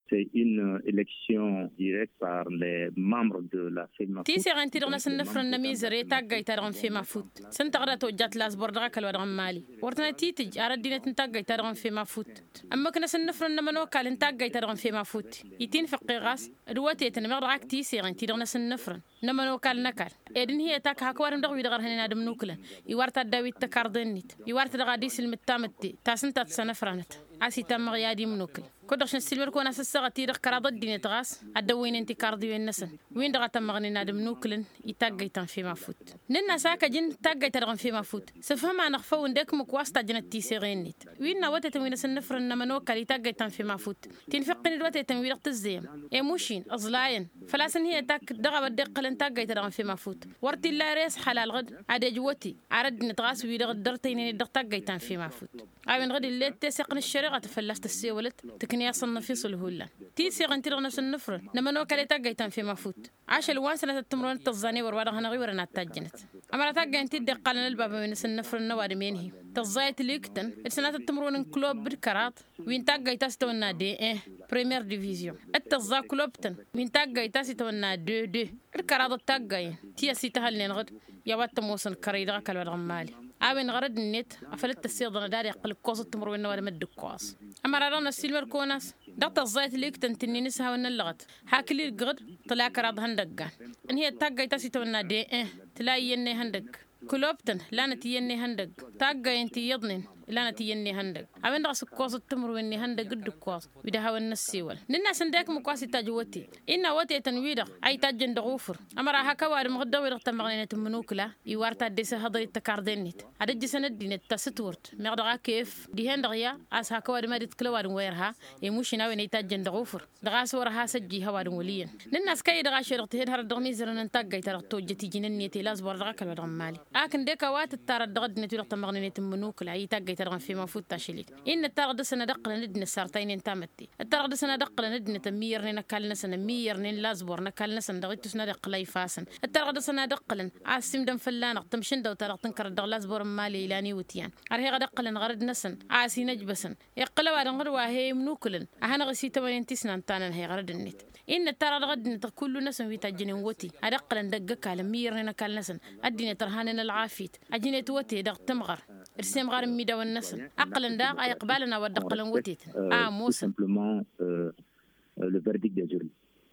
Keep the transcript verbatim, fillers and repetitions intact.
Une élection directe par les membres de la fema. Tiseɣen-ti-dăɣ n-asǝnnǝfrăn n-amizăre taggayt-ta-dăɣ n-fema fut s-ǝnta ɣǝd a tojjat lasbor dăɣ-akăl wa dăɣ-n-mali wăr tănăt-itǝjj ar ăddinăt n-taggayt-ta-dăɣ n-fema fut. Ǝmmǝk n-asǝnnǝfrăn n-ămănokal n-taggayt-ta-dăɣ n-fema fut. Itinfăqqe ɣas d-wătetăn meɣ dăɣ-ak tiseɣen-ti-dăɣ n-asǝnnǝfrăn n-ămănokal n-ăkall ed ǝnhǝyăt ak hak ăwadǝm dăɣ-wi-dăɣ ărhănen ad-ǝmnukǝlăn. Iwar taddawit tăkarḍe-net iwar-tădăɣ ad-isǝlmǝd tamǝtte ta s-ǝnta a tăsănăfranăt a-s itam meɣ i-ad-imnukǝl. Kud-dăɣ šăn ăssiilmăd kăwăn-as ăssaɣăt-i-dăɣ kăraḍ ăddinăt ɣas ad-dd-ăwwăynen tikarḍiwen-năsăn win-dăɣ a tămmăɣnen ad-ǝmnukǝlăn. I taggăyt ta n-fema fut nǝnn'-as a kăjǝn taggăyt-ta-dăɣ n-fema fut. Sǝfhǝm-anăɣ făw ǝndek-mǝk wa s-tajjănăt tiseɣe-net wi n-awătetăn wi n-asǝnnǝfrăn n-ămănokal i taggăyt ta n-fema fut. Tinfǝqqin d-wătetăn wi-dăɣ tǝzzeyăm i-mušin ǝẓlayăn făl-a-s ǝnhǝyăt ak dăɣ-a-wa dd-iqqălăn taggăyt-ta dăɣ-n fema fut. Wăr t-illa ere s-halal ɣǝd ad-ej wăte ar ăddinăt ɣas wi-dăɣ dd-ărtăynen-dd dăɣ-taggăyt ta n-fema fut. A-wen ɣǝd ill'-e d-teseɣt n-ăššăreɣa tăfălla-s tăssewălăt tǝknǝy-asăn n-afiṣǝl hullan. Tiseɣen-ti-dăɣ n-asǝnnǝfrăn n-ămănokal i taggăyt ta n-fema fut. Ašăl wa n-sănatăt timǝrwen d-tăẓẓa n-ewăr wa dăɣ-hanăɣ-iwărăn ad-tajjănăt. Ămăra taggăyăn-ti dd-iqqalăn ălbabăn wi n-asǝnnǝfrăn n-ăwadǝm enhi tăẓẓayăt liktăn d-sănatăt timǝrwen n-klub d-kăraḍ wi n-taggăyt ta s-itawănna d-e-en premiere division d-tăẓẓa klub-tăn wi n-taggăyt ta s-itawănna d-e-deux d-kăraḍăt taggăyăn ti ăsităhălnen ɣǝd. I-a-wa t-ămoosăn kărăy dăɣ-ăkall wa dăɣ-n mali a-wen ɣărăd-net afăl t-ăssiḍănăd ad-iqqǝl ǝkkoẓăt timǝrwen n-ăwadǝm d-ǝkkoẓ. Ămăra dăɣ-năssiilmăd kăwăn-as dăɣ-tăẓẓayăt liktăn ti n-inǝshawăn n-ăllăɣăt hak ǝlilgăɣ-dd tǝla kăraḍ ihăndăggan. Ǝnhǝyăt taggayt ta s-itawănna d-e-en tǝla iyyăn n-ihăndăgg. Klub-tăn lanăt iyyăn n-ihăndăgg taggayăn ti iyyăḍnen. Lanăt iyyăn n-ihăndăgg a-wen-dăɣ a-s ǝkkoẓăt timǝrwen n-ihăndăgg d-ǝkkoẓ wi d-ad-hawăn-năssewăl. Nǝnn'-as ǝndek mǝk wa s-itajj wăte innă wătetăn-wi-dăɣ a itajjăn dăɣ-ufǝr. Ămăra hak ăwadǝm ɣǝd dăɣ-wi-dăɣ tămmăɣnen ad-tǝmmǝnukǝla iwar ta dd-esăhhăḍăr i-tăkarḍe-net ad-ǝjjǝsăn ăddinăt ta s-ǝtwǝrt meɣ dăɣ-ak ef dihen-dăɣ ya a-s hak ăwadǝm ad-itkǝl ăwadǝm wa irha. Emušin a-wen a itajjăn dăɣ-ufǝr dăɣ-a-s wăr-ăhasăjjih ăwadǝm wăl' iyyăn. Nǝnn'-as kăy-dăɣ ašăl-dăɣ tihǝd hărăt dăɣ-imizărăn n-taggayt-ta-dăɣ tojjăt iji n-ǝnniyăt i-lazbor dăɣ-ăkall wa dăɣ-n mali. Ak ǝndek a-wa tǝttarăt dăɣ-ăddinăt wi-dăɣ tămmăɣnen i-tǝmmǝnukǝla i taggayt-ta-dăɣ n-fema fut tašăl-dd. Innă ǝttarăɣ dăɣ-săn ad-ǝqqǝlăn ăddinăt sartaynen tamătte ǝttarăɣ dăɣ-săn ad-ǝqqǝlăn ăddinăt ămmiyyărnen ăkall-năsăn ămmiyyărnen lazbor n-ăkall-năsăn dăɣ-ittus n-ad-iqqǝl a ifa-săn. Ǝttarăɣ dăɣ-săn ad-ǝqqǝlăn a ăssiimdăn fălla-năɣ tămšǝndăwt-ta-dăɣ tǝnkărăt dăɣ-lazbor n-mali ilan iwǝtyan. Ărheɣ ad-ǝqqǝlăn ɣărăd-năsăn a ăsinăjbăsăn iqqǝl ăwadǝm ɣǝd wa he-imnukǝlăn a hanăɣ-ăsităwănen ti s-nantănăn he-ɣărăd-net. Innă ǝttarăɣ dăɣ-ăddinăt kull-năsăn wi tajjănen wăte ad-ǝqqǝlăn dăgg-ăkall ămmiyyărnen ăkall-năsăn ăddinăt ărhanen ălɣafyăt. Ăjnet wăte dăɣ-tǝmɣăr d-semɣar n-imidawăn-năsăn. Ǝqqǝlăn daɣ a iqbalăn a-wa dd-ǝqqǝlăn wătetăn a ămoosăn. Le verdict des urnes.